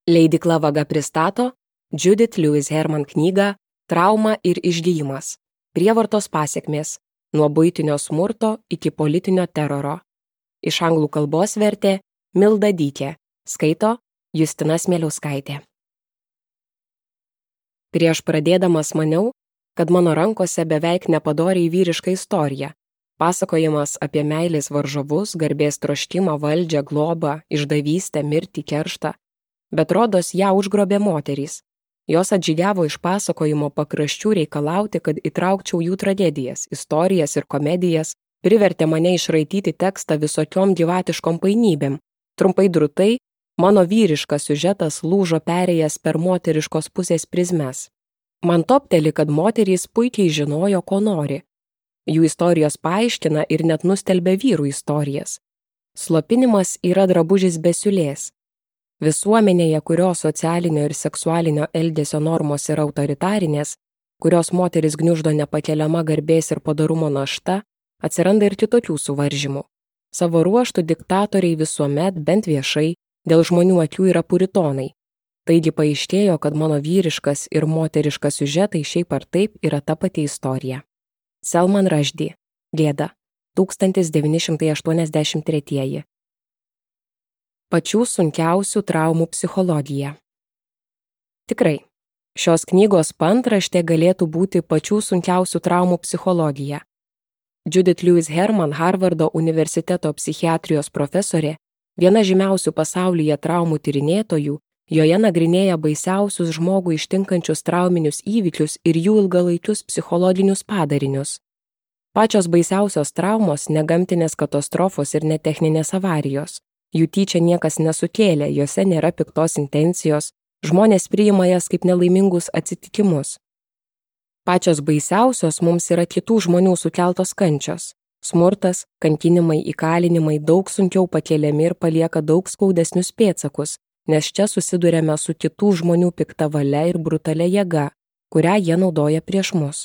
Leidykla Vaga pristato Judith Lewis Herman knygą Trauma ir išgijimas. Prievartos pasekmės – nuo buitinio smurto iki politinio teroro. Iš anglų kalbos vertė Milda Dykė, skaito Justina Smeliauskaitė. Prieš pradėdamas maniau, kad mano rankose beveik nepadoriai vyriška istorija, pasakojimas apie meilės varžovus, garbės troškimą, valdžią, globą, išdavystę, mirtį, kerštą. Bet rodos ją užgrobė moterys. Jos atžygiavo iš pasakojimo pakraščių reikalauti, kad įtraukčiau jų tragedijas, istorijas ir komedijas, privertė mane išraityti tekstą visokiom gyvatiškom painybėm. Trumpai drūtai, mano vyriškas siužetas lūžo perėjęs per moteriškos pusės prizmes. Man topteli, kad moterys puikiai žinojo, ko nori. Jų istorijos paaiškina ir net nustelbia vyrų istorijas. Slopinimas yra drabužis be siūlės. Visuomenėje, kurios socialinio ir seksualinio elgesio normos yra autoritarinės, kurios moteris gniuždo nepakeliama garbės ir padorumo našta, atsiranda ir kitokių suvaržymų. Savo ruožtų diktatoriai visuomet, bent viešai, dėl žmonių akių yra puritonai. Taigi paaiškėjo, kad mano vyriškas ir moteriškas siužetai šiaip ar taip yra ta pati istorija. Salman Rushdie, Gėda, 1983. Pačių sunkiausių traumų psichologija. Tikrai, šios knygos paantraštė galėtų būti pačių sunkiausių traumų psichologija. Judith Lewis Herman, Harvardo universiteto psichiatrijos profesorė, viena žymiausių pasaulyje traumų tyrinėtojų, joje nagrinėja baisiausius žmogų ištinkančius trauminius įvykius ir jų ilgalaikius psichologinius padarinius. Pačios baisiausios traumos, negamtinės katastrofos ir netechninės avarijos. Jų tyčia niekas nesukėlė, jose nėra piktos intencijos, žmonės priima jas kaip nelaimingus atsitikimus. Pačios baisiausios mums yra kitų žmonių sukeltos kančios. Smurtas, kankinimai, įkalinimai daug sunkiau pakeliami ir palieka daug skaudesnius pėdsakus, nes čia susiduriame su kitų žmonių pikta valia ir brutalia jėga, kurią jie naudoja prieš mus.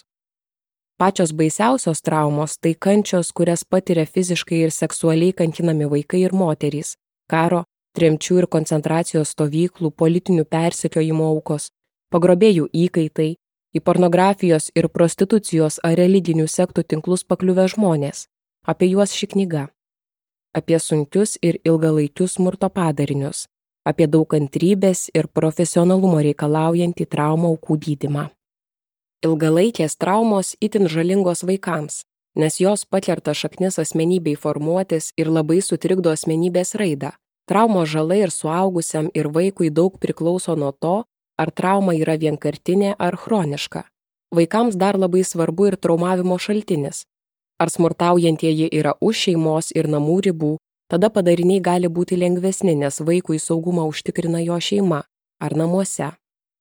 Pačios baisiausios traumos tai kančios, kurias patiria fiziškai ir seksualiai kankinami vaikai ir moterys, karo, tremčių ir koncentracijos stovyklų, politinių persekiojimo aukos, pagrobėjų įkaitai, į pornografijos ir prostitucijos ar religinių sektų tinklus pakliuvę žmonės. Apie juos ši knyga. Apie sunkius ir ilgalaikius smurto padarinius, apie daug kantrybės ir profesionalumo reikalaujantį traumų aukų gydymą. Ilgalaikės traumos itin žalingos vaikams, nes jos pakerta šaknis asmenybei formuotis ir labai sutrikdo asmenybės raidą. Traumos žala ir suaugusiam ir vaikui daug priklauso nuo to, ar trauma yra vienkartinė ar chroniška. Vaikams dar labai svarbu ir traumavimo šaltinis. Ar smurtaujantieji yra už šeimos ir namų ribų, tada padariniai gali būti lengvesni, nes vaikui saugumą užtikrina jo šeima ar namuose.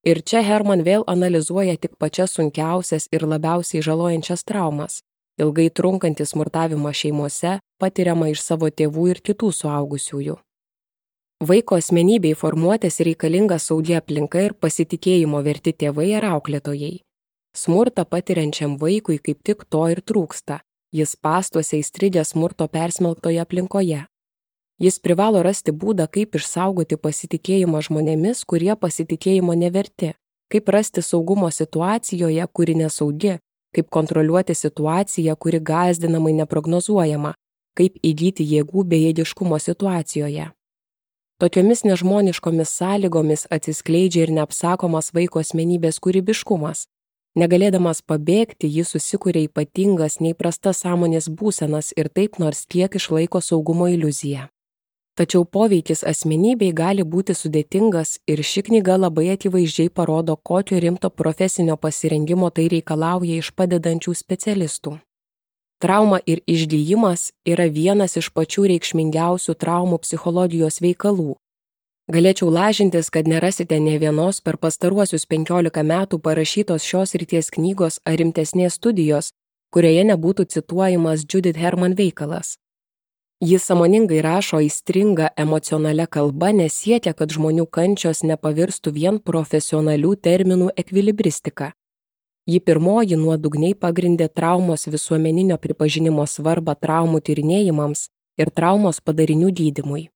Ir čia Herman vėl analizuoja tik pačias sunkiausias ir labiausiai žalojančias traumas, ilgai trunkantį smurtavimą šeimose, patiriamą iš savo tėvų ir kitų suaugusiųjų. Vaiko asmenybei formuotis reikalinga saugi aplinka ir pasitikėjimo verti tėvai ar auklėtojai. Smurtą patiriančiam vaikui kaip tik to ir trūksta, jis spąstuose įstrigęs smurto persmelktoje aplinkoje. Jis privalo rasti būdą, kaip išsaugoti pasitikėjimą žmonėmis, kurie pasitikėjimo neverti, kaip rasti saugumo situacijoje, kuri nesaugi, kaip kontroliuoti situaciją, kuri gąsdinamai neprognozuojama, kaip įgyti jėgų bejėgiškumo situacijoje. Tokiomis nežmoniškomis sąlygomis atsiskleidžia ir neapsakomas vaiko asmenybės kūrybiškumas. Negalėdamas pabėgti, jis susikuria ypatingas, neįprastas sąmonės būsenas ir taip nors kiek išlaiko saugumo iliuziją. Tačiau poveikis asmenybei gali būti sudėtingas ir ši knyga labai akivaizdžiai parodo, kokio rimto profesinio pasirengimo tai reikalauja iš padedančių specialistų. Trauma ir išgijimas yra vienas iš pačių reikšmingiausių traumų psichologijos veikalų. Galėčiau lažintis, kad nerasite nė vienos per pastaruosius 15 metų parašytos šios srities knygos ar rimtesnės studijos, kurioje nebūtų cituojamas Judith Herman veikalas. Jis sąmoningai rašo aistringa emocionalia kalba, nes siekia, kad žmonių kančios nepavirstų vien profesionalių terminų ekvilibristika. Ji pirmoji nuodugniai pagrindė traumos visuomeninio pripažinimo svarbą traumų tyrinėjimams ir traumos padarinių gydymui.